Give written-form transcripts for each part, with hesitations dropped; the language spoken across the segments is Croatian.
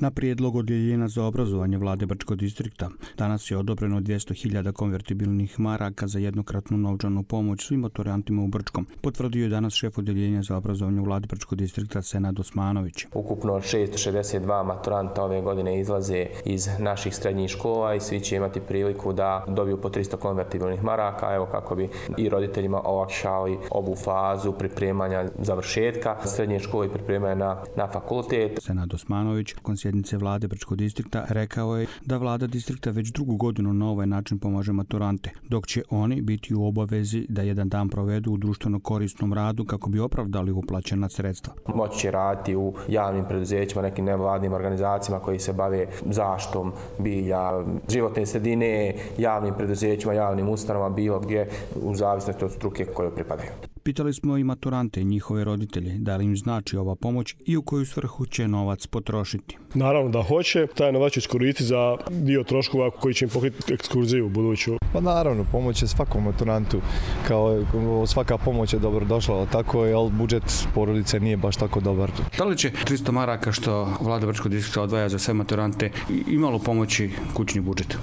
Na prijedlog odjeljenja za obrazovanje vlade Brčkog distrikta danas je odobreno 200.000 konvertibilnih maraka za jednokratnu novčanu pomoć svim maturantima u Brčkom, potvrdio je danas šef odjeljenja za obrazovanje u vladi Brčkog distrikta Senad Osmanović. Ukupno 662 maturanta ove godine izlaze iz naših srednjih škola i svi će imati priliku da dobiju po 300 konvertibilnih maraka, evo kako bi i roditeljima olakšali ovu fazu pripremanja završetka srednje škole i pripremanja na fakultet. Senad Osmanović, sjednice vlade Brčkog distrikta, rekao je da vlada distrikta već drugu godinu na ovaj način pomaže maturante, dok će oni biti u obavezi da jedan dan provedu u društveno korisnom radu kako bi opravdali uplaćena sredstva. Moći će raditi u javnim preduzećima, nekim nevladnim organizacijama koji se bave zaštitom bilja, životne sredine, javnim preduzećima, javnim ustanovama, bilo gdje u zavisnosti od struke kojoj pripadaju. Pitali smo i maturante i njihove roditelje da li im znači ova pomoć i u koju svrhu će novac potrošiti. Naravno da hoće, taj novac će iskoristiti za dio troškova koji će im pokriti ekskurziju u buduću. Pa naravno, pomoć je svakom maturantu, kao svaka pomoć je dobro došla, ali tako je, ali budžet porodice nije baš tako dobar. Da li će 300 maraka što vlada Brčkog distrikta odvaja za sve maturante imalo pomoći kućni budžet?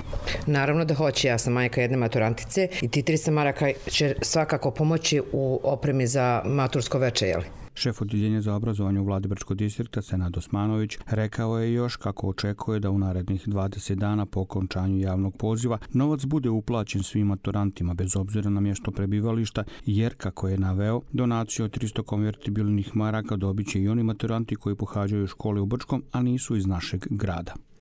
Naravno da hoće, ja sam majka jedne maturantice i ti 300 maraka će svakako pomoći u opremi za matursko veče, jel? Šef odjeljenja za obrazovanje u vladi Brčkog distrikta Senad Osmanović rekao je još kako očekuje da u narednih 20 dana po okončanju javnog poziva novac bude uplaćen svim maturantima bez obzira na mjesto prebivališta, jer kako je naveo, donaciju od 300 konvertibilnih maraka dobit će i oni maturanti koji pohađaju škole u Brčkom, a nisu iz našeg grada.